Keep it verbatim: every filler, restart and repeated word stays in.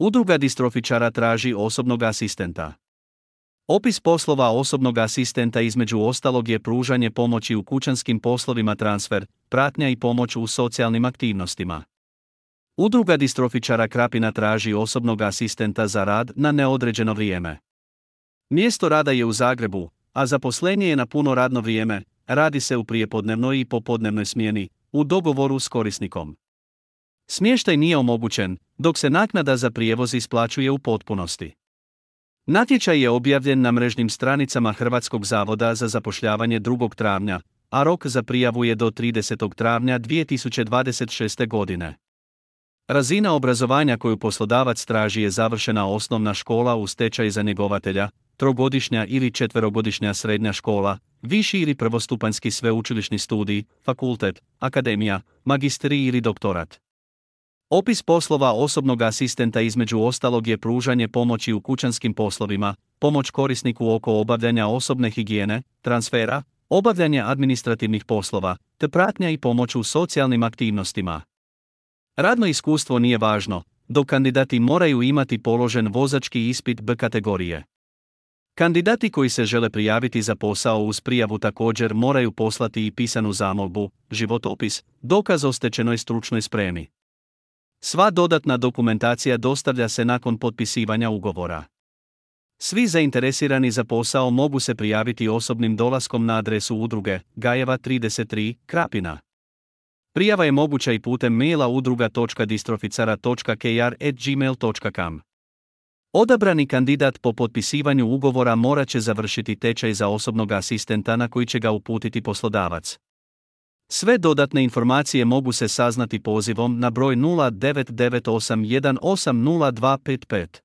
Udruga distrofičara traži osobnog asistenta. Opis poslova osobnog asistenta između ostalog je pružanje pomoći u kućanskim poslovima, transfer, pratnja i pomoć u socijalnim aktivnostima. Udruga distrofičara Krapina traži osobnog asistenta za rad na neodređeno vrijeme. Mjesto rada je u Zagrebu, a zaposlenje je na puno radno vrijeme, radi se u prijepodnevnoj i popodnevnoj smjeni, u dogovoru s korisnikom. Smještaj nije omogućen, dok se naknada za prijevoz isplaćuje u potpunosti. Natječaj je objavljen na mrežnim stranicama Hrvatskog zavoda za zapošljavanje drugog travnja, a rok za prijavu je do tridesetog travnja dvije tisuće dvadeset šeste. godine. Razina obrazovanja koju poslodavac traži je završena osnovna škola uz tečaj za njegovatelja, trogodišnja ili četverogodišnja srednja škola, viši ili prvostupanjski sveučilišni studij, fakultet, akademija, magisterij ili doktorat. Opis poslova osobnog asistenta između ostalog je pružanje pomoći u kućanskim poslovima, pomoć korisniku oko obavljanja osobne higijene, transfera, obavljanje administrativnih poslova, te pratnja i pomoć u socijalnim aktivnostima. Radno iskustvo nije važno, dok kandidati moraju imati položen vozački ispit B kategorije. Kandidati koji se žele prijaviti za posao uz prijavu također moraju poslati i pisanu zamolbu, životopis, dokaz o stečenoj stručnoj spremi. Sva dodatna dokumentacija dostavlja se nakon potpisivanja ugovora. Svi zainteresirani za posao mogu se prijaviti osobnim dolaskom na adresu udruge Gajeva trideset tri, Krapina. Prijava je moguća i putem maila udruga točka distroficara točka k r at gmail točka com. Odabrani kandidat po potpisivanju ugovora morat će završiti tečaj za osobnog asistenta na koji će ga uputiti poslodavac. Sve dodatne informacije mogu se saznati pozivom na broj nula devet devet osam jedan osam nula dva pet pet.